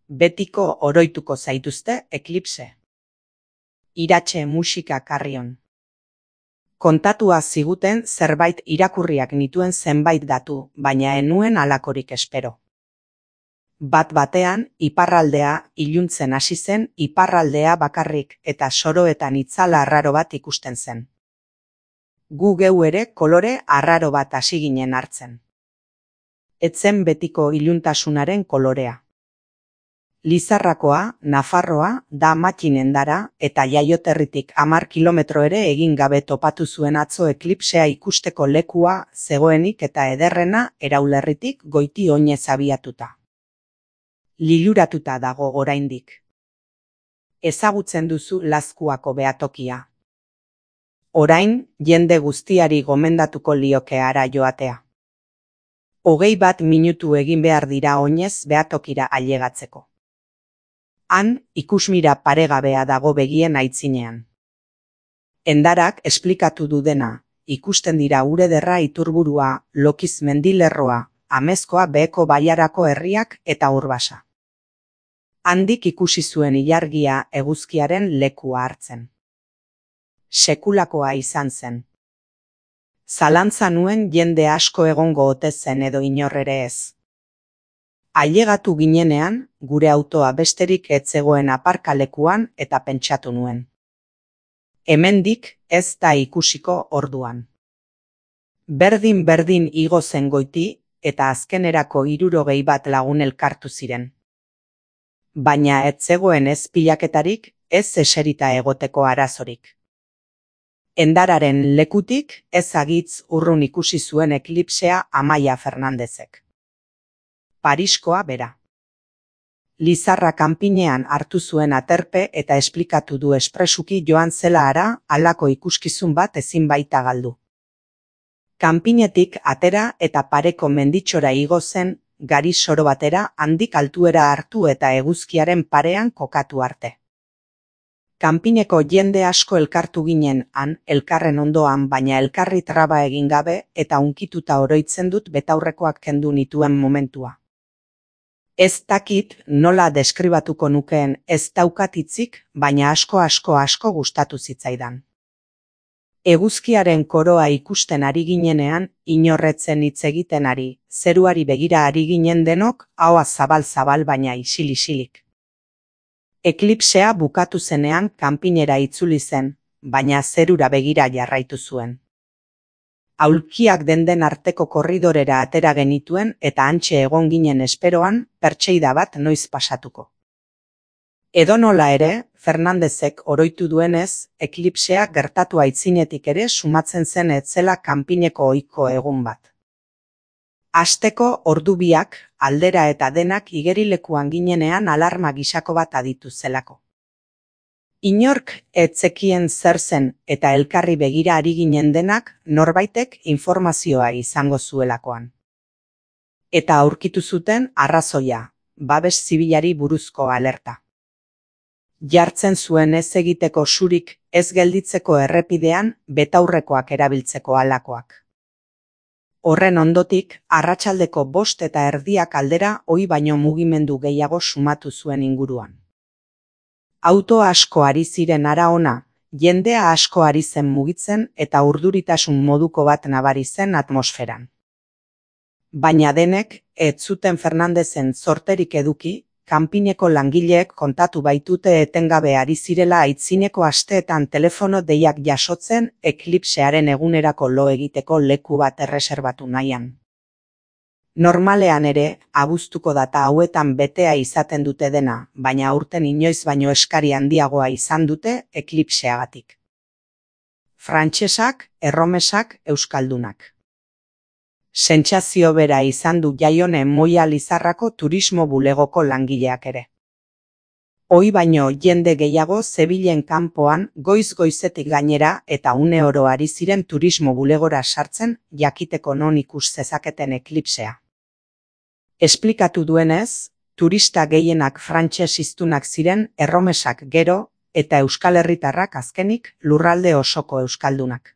Betiko oroituko zaituzte eklipse. Iratxe musika karrion. Kontatua ziguten zerbait irakurriak nituen zenbait datu, baina enuen halakorik espero. Bat batean, iparraldea iluntzen hasi zen, iparraldea bakarrik eta soroetan itzala arraro bat ikusten zen. Gu geu ere kolore arraro bat hasi ginen hartzen. Etzen betiko iluntasunaren kolorea. Lizarrakoa, Nafarroa, da Matxinendara eta Jaioterritik 10 kilometro ere egin gabe topatu zuen atzo eklipsea ikusteko lekua zegoenik eta ederrena Eraulerritik goiti oinez abiatuta. Liluratuta dago oraindik. Ezagutzen duzu Lazkuako behatokia. Orain, jende guztiari gomendatuko lioke hara joatea. 21 minutu egin behar dira oinez behatokira ailegatzeko. Han, ikusmira paregabea dago begien aitzinean. Endarak esplikatu du dena, ikusten dira Urederra Iturburua, Lokiz mendilerroa, Amezkoa Beheko Baiarako herriak eta Urbasa. Handik ikusi zuen ilargia eguzkiaren lekua hartzen. Sekulakoa izan zen. Zalantza nuen jende asko egongo ote zen edo inor ere ez. Ailegatu ginenean, gure autoa besterik ez zegoen aparkalekuan eta pentsatu nuen. Hemendik ez da ikusiko orduan. Berdin igo zen goiti eta azkenerako 61 lagun elkartu ziren. Baina ez zegoen ez pilaketarik, ez eserita egoteko arazorik. Endararen lekutik ez agitz urrun ikusi zuen eklipsea Amaia Fernandezek. Pariskoa bera. Lizarra kanpinean hartu zuen aterpe eta esplikatu du espresuki joan zela hara halako ikuskizun bat ezin baita galdu. Kanpinetik atera eta pareko menditxora igo zen, gari soro batera handik altuera hartu eta eguzkiaren parean kokatu arte. Kanpineko jende asko elkartu ginen han, elkarren ondoan, baina elkarri traba egin gabe eta unkituta oroitzen dut betaurrekoak kendu nituen momentua. Ez dakit nola deskribatuko nukeen, ez daukat hitzik, baina asko gustatu zitzaidan. Eguzkiaren koroa ikusten ari ginenean, inorretzen hitz egiten ari, zeruari begira ari ginen denok, ahoa zabal baina isil-isilik. Eklipsea bukatu zenean kanpinera itzuli zen, baina zerura begira jarraitu zuen. Aulkiak den arteko korridorera atera genituen eta hantxe egon ginen esperoan, pertseida bat noiz pasatuko. Edonola ere, Fernandezek oroitu duenez, eklipsea gertatu aitzinetik ere sumatzen zen etzela kanpineko ohiko egun bat. Asteko ordu biak, aldera eta denak igerilekuan ginenean alarma gisako bat aditu zelako. Inork ez zekien zer zen eta elkarri begira ari ginen denak norbaitek informazioa izango zuelakoan. Eta aurkitu zuten arrazoia, babes zibilari buruzko alerta. Jartzen zuen ez egiteko surik ez gelditzeko errepidean betaurrekoak erabiltzeko halakoak. Horren ondotik, arratsaldeko 5:30 aldera ohi baino mugimendu gehiago sumatu zuen inguruan. Auto asko ari ziren hara ona, jendea asko ari zen mugitzen eta urduritasun moduko bat nabari zen atmosferan. Baina denek, ez zuten Fernandezen zorterik eduki, kanpineko langileek kontatu baitute etengabe ari zirela aitzineko asteetan telefono deiak jasotzen eklipsearen egunerako lo egiteko leku bat erreserbatu nahian. Normalean ere, abuztuko data hauetan betea izaten dute dena, baina aurten inoiz baino eskari handiagoa izan dute eklipseagatik. Frantsesak, erromesak, euskaldunak. Sentsazio bera izan du Jaione Moia Lizarrako turismo bulegoko langileak ere. Ohi baino jende gehiago zebilen kanpoan goiz-goizetik gainera eta une oro ari ziren turismo bulegora sartzen jakiteko non ikus zezaketen eklipsea. Esplikatu duenez, turista gehienak frantses hiztunak ziren erromesak gero eta euskal herritarrak azkenik lurralde osoko euskaldunak.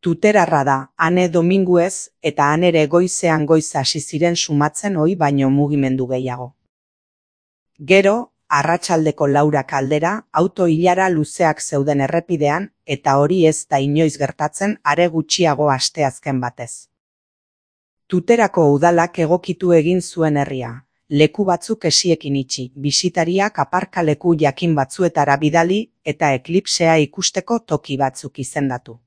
Tuterarra da, Ane Dominguez eta han ere goizean goiz hasi ziren sumatzen ohi baino mugimendu gehiago. Gero, arratsaldeko 4 aldera, auto-ilara luzeak zeuden errepidean, eta hori ez da inoiz gertatzen are gutxiago asteazken batez. Tuterako udalak egokitu egin zuen herria. Leku batzuk esiekin itxi, bisitariak aparkaleku jakin batzuetara bidali eta eklipsea ikusteko toki batzuk izendatu.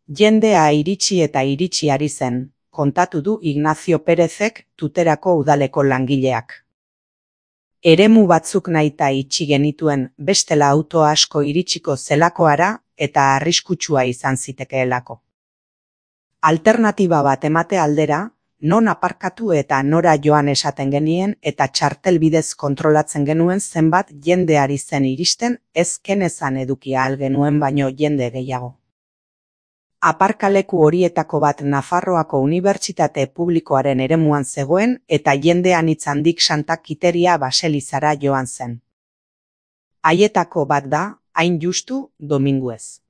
Jendea iritsi eta iritsi ari zen, kontatu du Ignacio Pérezek Tuterako udaleko langileak. Eremu batzuk nahita itxi genituen, bestela auto asko iritsiko zelakoara eta arriskutsua izan zitekeelako. Alternatiba bat emate aldera, non aparkatu eta nora joan esaten genien eta txartel bidez kontrolatzen genuen zenbat jende ari zen iristen, ez kenezan edukia ahal genuen baino jende gehiago. Aparkaleku horietako bat Nafarroako Unibertsitate Publikoaren eremuan zegoen eta jende anitz handik Santa Kiteria baselizara joan zen. Haietako bat da, hain justu, Dominguez.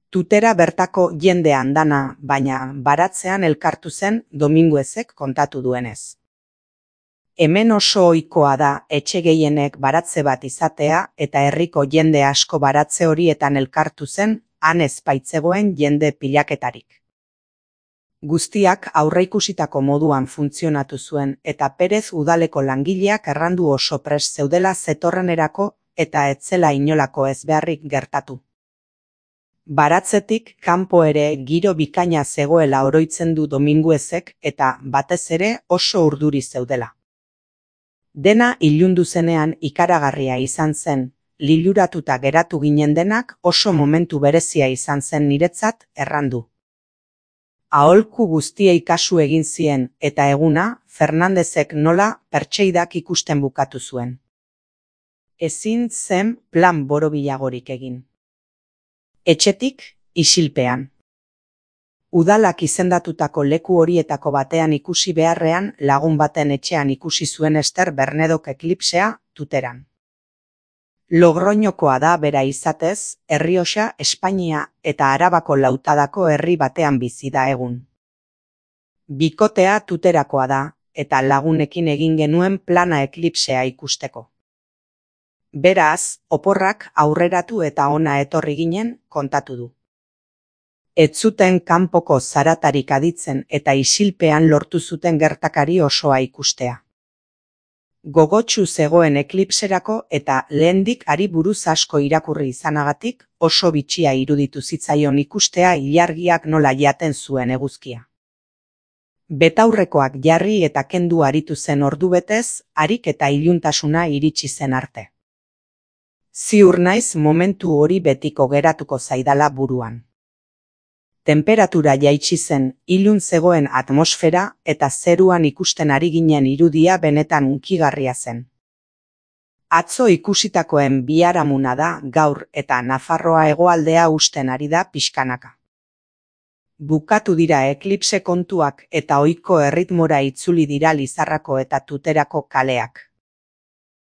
Tutera bertako jende andana, baina baratzean elkartu zen Dominguezek kontatu duenez. Hemen oso ohikoa da etxe gehienek baratze bat izatea eta herriko jende asko baratze horietan elkartu zen, han ez baitzegoen jende pilaketarik. Guztiak aurreikusitako moduan funtzionatu zuen eta Perez udaleko langileak errandu oso prest zeudela zetorrenerako eta etzela inolako ezbeharrik gertatu. Baratzetik kanpo ere giro bikaina zegoela oroitzen du Dominguezek eta batez ere oso urduri zeudela. Dena ilundu zenean ikaragarria izan zen, liluratuta geratu ginen denak oso momentu berezia izan zen niretzat errandu. Aholku guztiei kasu egin zien eta eguna Fernandezek nola pertseidak ikusten bukatu zuen. Ezin zen plan borobilagorik egin. Etxetik, isilpean. Udalak izendatutako leku horietako batean ikusi beharrean lagun baten etxean ikusi zuen Ester Bernedok eklipsea Tuteran. Logroñokoa da bera izatez, Errioxa, Espainia eta Arabako lautadako herri batean bizi da egun. Bikotea Tuterakoa da, eta lagunekin egin genuen plana eklipsea ikusteko. Beraz, oporrak aurreratu eta ona etorri ginen, kontatu du. Ez zuten kanpoko zaratarik aditzen eta isilpean lortu zuten gertakari osoa ikustea. Gogotsu zegoen eklipserako eta lehendik hari buruz asko irakurri izanagatik oso bitxia iruditu zitzaion ikustea ilargiak nola jaten zuen eguzkia. Betaurrekoak jarri eta kendu aritu zen ordubetez, harik eta iluntasuna iritsi zen arte. Ziur naiz momentu hori betiko geratuko zaidala buruan. Temperatura jaitsi zen, ilun zegoen atmosfera eta zeruan ikusten ari ginen irudia benetan hunkigarria zen. Atzo ikusitakoen biharamuna da gaur eta Nafarroa hegoaldea husten ari da pixkanaka. Bukatu dira eklipse kontuak eta ohiko erritmora itzuli dira Lizarrako eta Tuterako kaleak.